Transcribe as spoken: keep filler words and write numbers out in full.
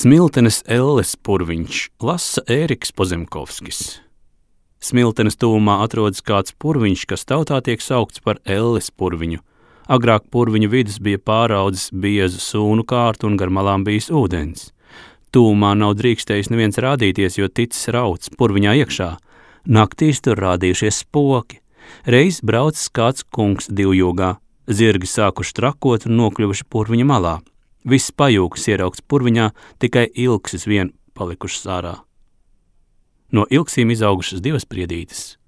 Smiltenes elles purviņš lasa Ēriks Pozemkovskis. Smiltenes tuvumā atrodas kāds purviņš, kas tautā tiek saukts par elles purviņu. Agrāk purviņu vidus bija pāraudzis biezu sūnu kārtu un gar malām bijis ūdens. Tuvumā nav drīkstējis neviens rādīties, jo ticis rauts purviņā iekšā. Naktīs tur rādījušies spoki. Reiz braucis kāds kungs divjūgā. Zirgi sākuši trakot un nokļuvuši purviņa malā. Viss pajūgs ieraugts purviņā, tikai ilksis vien palikušas ārā. No ilksīm izaugušas divas priedītes.